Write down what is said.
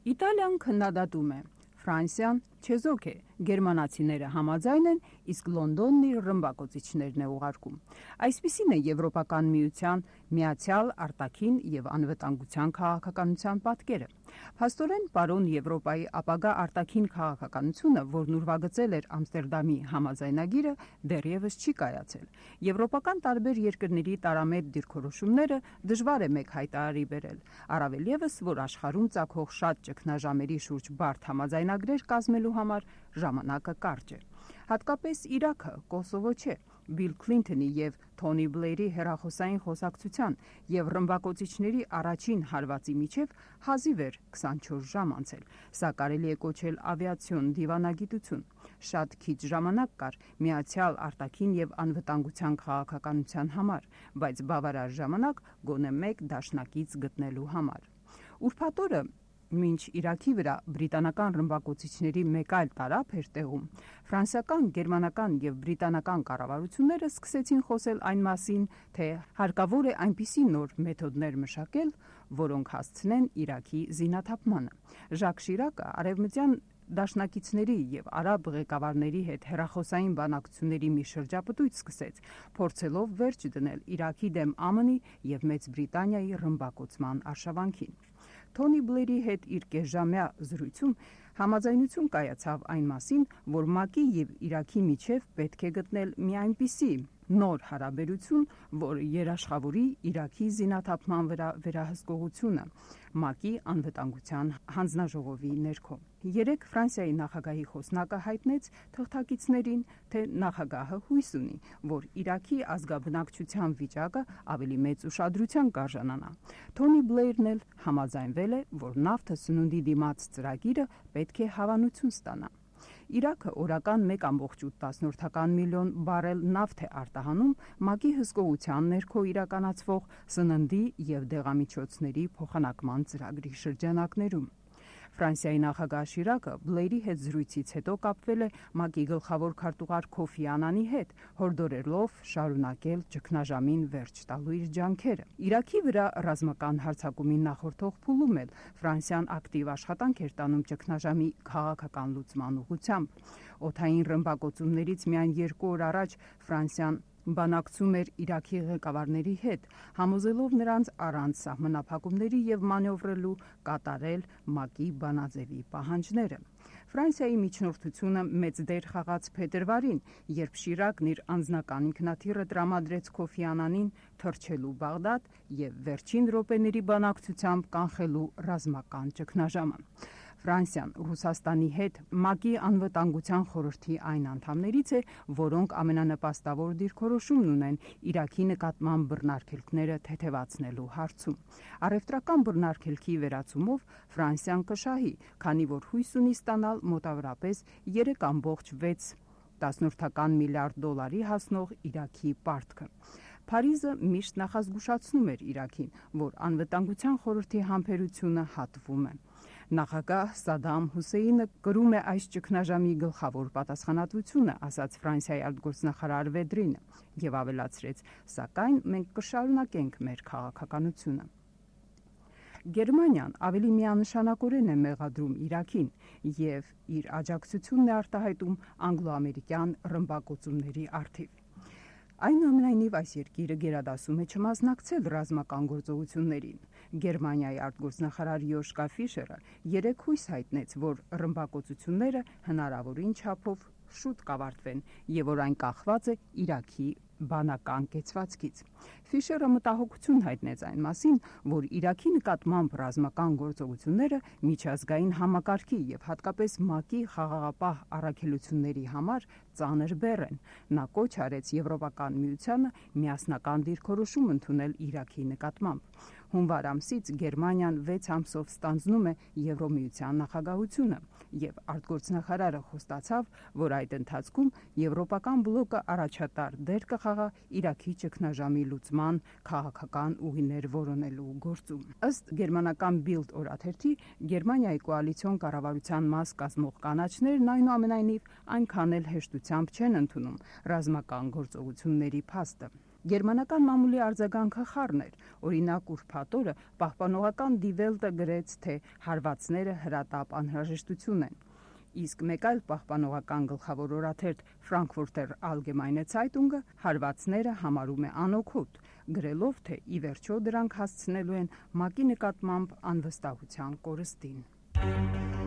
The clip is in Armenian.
Իտալիան քննադատում է, Ֆրանսիան չեզոք է, գերմանացիները համաձայն են, իսկ Լոնդոնն իր ռմբակոծիչներն է ուղարկում։ Այսպիսին է Եվրոպական միության միացյալ արտաքին եւ անվտանգության քաղաքականության պատկերը։ Փաստորեն, պարոն Եվրոպայի ապագա արտաքին քաղաքականությունը, որն ուրվագծել էր Ամստերդամի համաձայնագիրը, դեռևս չի կայացել։ Եվրոպական տարբեր երկրների տարամետ դիրքորոշումները դժվար է մեկ հայտարարի բերել, առավել ևս, որ աշխարհում ծագող շատ ճգնաժամերի շուրջ բարդ համաձայնագրեր կազմելու համար ժամանակը կարճ է։ Հատկապես Իրաքը, Կոսովո չէ, Բիլ Քլինթոնի եւ Թոնի Բլեյրի հեռախոսային խոսակցության եւ ռմբակոծիչների առաջին հարվածի միջև հազիվ էր 24 ժամ անցել։ Սա կարելի է կոչել ավիացիոն դիվանագիտություն։ Շատ քիչ ժամանակ կար միացյալ արտաքին եւ անվտանգության քաղաքականության համար, բայց բավարար ժամանակ գոնե մեկ դաշնակից գտնելու համար։ Ուրբաթ օրը մինչ Իրաքի վրա բրիտանական ռմբակոծիչների մեկ այլ տարափ էր տեղում, ֆրանսիական, գերմանական եւ բրիտանական կառավարությունները սկսեցին խոսել այն մասին, թե հարկավոր է այնպիսի նոր մեթոդներ մշակել, որոնք հասցնեն Իրաքի զինաթափմանը։ Ժակ Շիրակը արևմտյան դաշնակիցների եւ արաբ ղեկավարների հետ հեռախոսային բանակցությունների մի շրջապտույտ սկսեց, փորձելով վերջ դնել Իրաքի դեմ ԱՄՆ-ի եւ Մեծ Բրիտանիայի ռմբակոծման արշավանքին։ Թոնի Բլեյրի հետ իր կեսժամյա զրույցում համաձայնություն կայացավ այն մասին, որ ՄԱԿ-ի եւ Իրաքի միջև պետք է գտնել մի այնպիսի նոր հարաբերություն, որ երաշխավորի Իրաքի զինաթափման վրա վերահսկողությունը ՄԱԿ-ի անվտանգության հանձնաժողովի ներքո։ Երեկ Ֆրանսիայի նախագահի խոսնակը հայտնեց թղթակիցներին, թե նախագահը հույս ունի, որ Իրաքի ազգաբնակչության վիճակը ավելի մեծ ուշադրության կարժանանա։ Թոնի Բլեյրն էլ համաձայնվել է, որ նավթը սնունդի դիմաց ծրագիրը պետք է հավանություն ստանա։ Իրաքը օրական 1,8 միլիոն բարել նավթ է արտահանում ՄԱԿ-ի հսկողության ներքո իրականացվող սննդի եւ դեղամիջոցների փոխանակման ծրագրի շրջանակներում։ Ֆրանսիայի նախագահ Շիրակը Բլեյրի հետ զրույցից հետո կապվել է ՄԱԿ-ի գլխավոր քարտուղար Քոֆի Անանի հետ, հորդորելով շարունակել ճգնաժամին վերջ տալու իր ջանքերը։ Իրաքի վրա ռազմական հարձակումին նախորդող փուլում էլ Ֆրանսիան ակտիվ աշխատանք էր տանում ճգնաժամի քաղաքական լուծման ուղղությամբ։ Օդային ռմբակոծումներից միայն 2 օր առաջ Ֆրանսիան բանակցում էր Իրաքի ղեկավարների հետ, համոզելով նրանց առանց սահմանափակումների եւ մանևրելու կատարել ՄԱԿ-ի բանաձևի պահանջները։ Ֆրանսիայի միջնորդությունը մեծ դեր խաղաց փետրվարին, երբ Շիրակն իր անձնական ինքնաթիռը տրամադրեց Քոֆի Անանին թռչելու Բաղդադ եւ վերջին րոպեների բանակցությամբ կանխելու ռազմական ճգնաժամը։ Ֆրանսիան Ռուսաստանի հետ ՄԱԿ-ի անվտանգության խորհրդի այն անդամներից է, որոնք ամենանպաստավոր դիրքորոշումն ունեն Իրաքի նկատմամբ բռնարգելքները թեթևացնելու հարցում։ Առևտրական բռնարգելքի վերացումով Ֆրանսիան կշահի, քանի որ հույս ունի ստանալ մոտավորապես 3,6 միլիարդ դոլարի հասնող Իրաքի պարտքը։ Փարիզը միշտ նախազգուշացնում էր Իրաքին, որ անվտանգության խորհրդի համբերությունը հատվում է։ Նախագահ Սադամ Հուսեյնը կրում է այս ճգնաժամի գլխավոր պատասխանատվությունը, ասաց Ֆրանսիայի արտգործնախարար Վեդրինը, եւ ավելացրեց. սակայն մենք կշարունակենք մեր քաղաքականությունը։ Գերմանիան ավելի միանշանակորեն է մեղադրում Իրաքին եւ իր աջակցությունն է արտահայտում անգլո-ամերիկյան ռմբակոծումների առթիվ։ Այնուամենայնիվ այս երկիրը գերադասում է չմասնակցել ռազմական գործողություններին։ Գերմանիայի արտգործնախարար Յոշկա Ֆիշերը երեկ հույս հայտնեց, որ ռմբակոծությունները հնարավորին չափով շուտ կավարտվեն եւ որ այն կախված է Իրաքի բանական կեցվածքից։ Ֆիշերը մտահոգություն հայտնեց այն մասին, որ Իրաքի նկատմամբ ռազմական գործողությունները միջազգային համակարգի եւ հատկապես ՄԱԿ-ի խաղաղապահ առաքելությունների համար ծանր բեռ են։ Նա կոչ արեց Եվրոպական միությանը միասնական դիրքորոշում ընդունել Իրաքի նկատմամբ։ Հունվար ամսից Գերմանիան 6 ամսով ստանձնում է Եվրոմիության նախագահությունը եւ արտգործնախարարը խոստացավ, որ այդ ընթացքում Եվրոպական բլոկը առաջատար դեր կխաղա Իրաքի ճգնաժամի լուծման քաղաքական ուղիներ որոնելու գործում։ Ըստ գերմանական Bild օրաթերթի, Գերմանիայի կոալիցիոն կառավարության մաս կազմող կանաչներն այնուամենայնիվ այնքան էլ հեշտությամբ չեն ընդունում ռազմական գործողությունների փաստը։ Գերմանական մամուլի արձագանքը խառն էր։ Օրինակ, ուրբաթ օրը պահպանողական Die Welt-ը գրեց, թե հարվածները հրատապ անհրաժեշտություն են։ Իսկ մեկ այլ պահպանողական գլխավոր օրաթերթ Frankfurter Allgemeine Zeitung-ը հարվածները համարում է անօգուտ, գրելով, թե ի վերջո դրանք հասցնելու են ՄԱԿ-ի նկատմամբ անվստահության կորստին։